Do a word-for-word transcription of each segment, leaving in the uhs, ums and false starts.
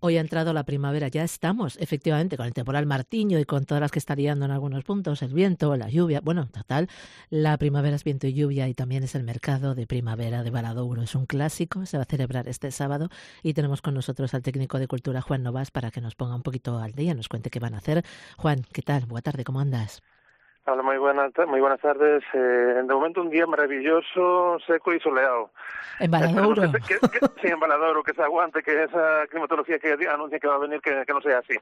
Hoy ha entrado la primavera, ya estamos, efectivamente, con el temporal Martiño y con todas las que está liando en algunos puntos, el viento, la lluvia. Bueno, total, la primavera es viento y lluvia y también es el mercado de primavera de Valadouro. Es un clásico, se va a celebrar este sábado y tenemos con nosotros al técnico de cultura, Juan Novas, para que nos ponga un poquito al día, nos cuente qué van a hacer. Juan, ¿qué tal? Buena tarde, ¿cómo andas? Hola, muy buenas, muy buenas tardes. Eh, de momento un día maravilloso, seco y soleado. En Valadouro. Que, que, que, sí, en Valadouro, que se aguante, que esa climatología que anuncia que va a venir, que, que no sea así,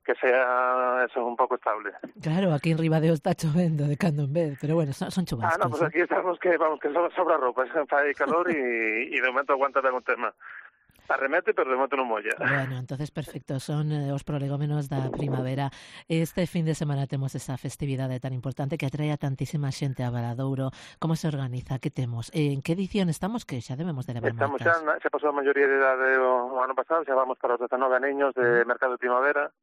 que sea eso un poco estable. Claro, aquí en Ribadeo está chovendo de cando en vez, pero bueno, son, son chubascos. Ah, no, pues aquí estamos que vamos que sobra ropa, hay calor y, y de momento aguanta ben o tema. Arremete, pero de momento non molla. Bueno, entonces perfecto, son eh, os prolegómenos da primavera. Este fin de semana temos esa festividade tan importante que atrae a tantísima xente a Valadouro. Como se organiza? Que temos? En que edición estamos? Que xa debemos de levar Estamos moitas. xa, xa pasou a maioría de idade o, o ano pasado, xa vamos para os dezanove aneños de uh-huh. mercado de primavera,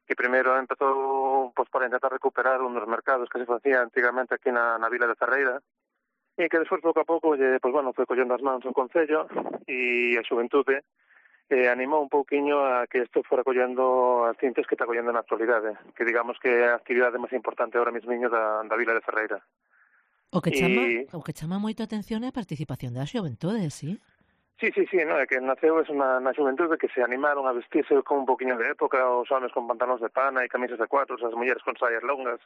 que primeiro empezou pues, para intentar recuperar un dos mercados que se facía antigamente aquí na, na vila de Ferreira, e que despois, pouco a pouco, lle, pues, bueno, foi collendo as mans o Concello e a xuventude eh, animou un pouquiño a que isto fora collendo as cintas que está collendo na actualidade, que digamos que é a actividade máis importante ahora mesmo da, da vila de Ferreira. O que chama, e... o que chama moito a atención é a participación da xuventude, sí? Sí, sí, sí, no, é que naceu es na, na xuventude que se animaron a vestirse con un poquinho de época, os homens con pantalóns de pana e camisas de cuatros, as mulleres con saias longas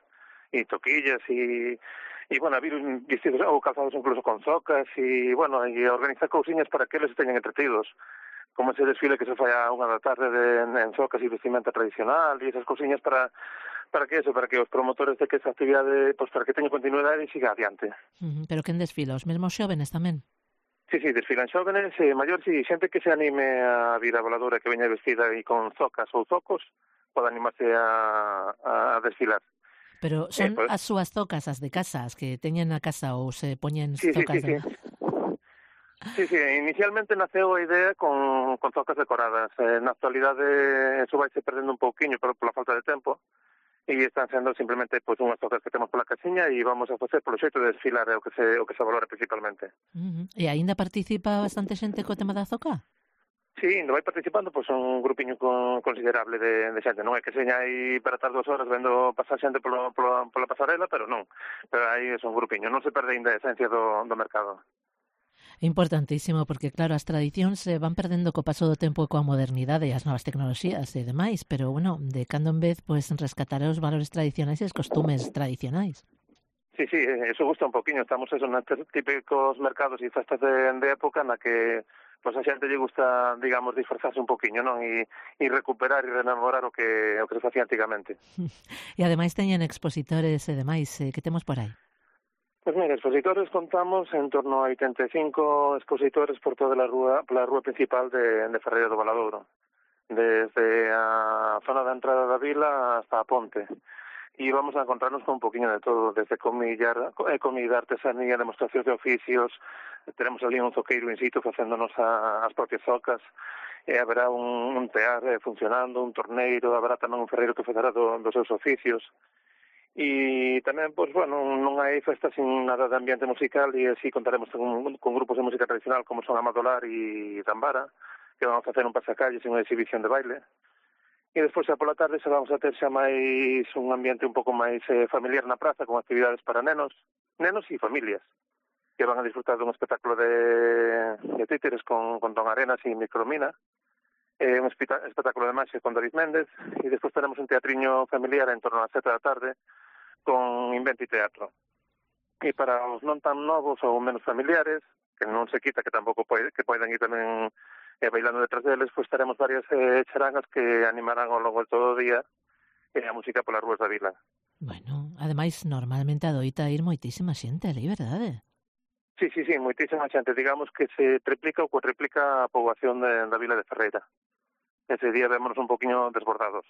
e toquillas e... E, bueno, vir vestidos ou calzados incluso con zocas e, bueno, e organizar cousiñas para que eles teñan entretidos, como ese desfile que se fai a unha da tarde de, en zocas e vestimenta tradicional e esas cousiñas para para que eso, para que os promotores de que esa actividade, pues, para que teña continuidade e siga adiante. Uh-huh. Pero quen desfila? Os mesmos xóvenes tamén? Sí, sí, desfilan xóvenes, eh, maiores e xente que se anime a vir a Valadouro que veña vestida e con zocas ou zocos pode animarse a, a desfilar. Pero son eh, pues... as súas zocas, as de casa, as que teñen na casa ou se poñen sí, zocas sí, sí, de... sí. Sí, sí, inicialmente naceu a idea con, con zocas decoradas. Eh, na actualidade eso vai se perdendo un pouquiño por, pola falta de tempo e están sendo simplemente pues, unhas zocas que temos pola casiña e vamos a facer polo xeito de desfilar é o que se, o que se valora principalmente. Uh-huh. E aínda participa bastante xente co tema da zoca? Sí, ainda vai participando, pois pues, un grupiño con, considerable de, de xente. Non é que seña aí para estar dúas horas vendo pasar xente polo, polo, pola pasarela, pero non. Pero aí é un grupiño, non se perde ainda a esencia do, do mercado. Importantísimo, porque claro, as tradicións se van perdendo co paso do tempo e coa modernidade e as novas tecnoloxías e demais, pero bueno, de cando en vez, pois pues, rescatar os valores tradicionais e os costumes tradicionais. Sí, sí, eso gusta un poquinho. Estamos eso, nestes típicos mercados e festas de, de época na que pues, a xente lle gusta, digamos, disfrazarse un poquinho, non? E, e recuperar e rememorar o que, o que se facía antigamente. E ademais teñen expositores e demais, eh, que temos por aí? Pois pues mira, expositores contamos en torno a oitenta e cinco expositores por toda a rúa, pola rúa principal de, de Ferreira do Valadouro, desde a zona da entrada da vila hasta a ponte. E vamos a encontrarnos con un poquinho de todo, desde comida, comida artesanía, demostracións de oficios, tenemos ali un zoqueiro in situ facéndonos a, as propias zocas, e haberá un, un tear eh, funcionando, un torneiro, haberá tamén un ferreiro que fará do, dos seus oficios. E tamén, pois, bueno, non hai festa sin nada de ambiente musical e así contaremos con, con grupos de música tradicional como son Amadolar e Tambara, que vamos a facer un pasacalles e unha exhibición de baile. E despois, xa pola tarde, xa vamos a ter xa máis un ambiente un pouco máis eh, familiar na praza, con actividades para nenos, nenos e familias, que van a disfrutar dun espectáculo de, de títeres con, con Don Arenas e Micromina, eh, un espectáculo de magia con David Méndez, e despois teremos un teatriño familiar en torno ás sete da tarde, con Inventi Teatro. E para os non tan novos ou menos familiares, que non se quita que tampouco pode, que poden ir tamén eh, bailando detrás deles, pois teremos varias eh, charangas que animarán ao longo de todo o día eh, a música polas rúas da vila. Bueno, ademais, normalmente adoita ir moitísima xente ali, verdade? Sí, sí, sí, moitísima xente. Digamos que se triplica ou cuatriplica a poboación de, da vila de Ferreira. Ese día vémonos un poquinho desbordados.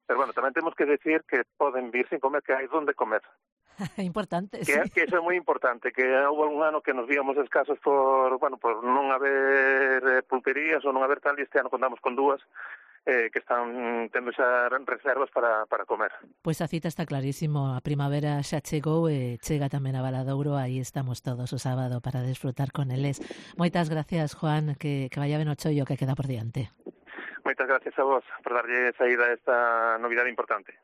Pero bueno, tamén temos que decir que poden vir sin comer, que hai donde comer. Importante, que, sí. Que eso é moi importante, que houve un ano que nos víamos escasos por, bueno, por non haber eh, pulperías ou non haber tal, e este ano contamos con dúas eh, que están tendo xa reservas para, para comer. Pois a cita está clarísimo, a primavera xa chegou e chega tamén a Valadouro, aí estamos todos o sábado para desfrutar con eles. Moitas gracias, Juan, que, que vaya ben o chollo que queda por diante. Moitas gracias a vos por darlle saída a esta novidade importante.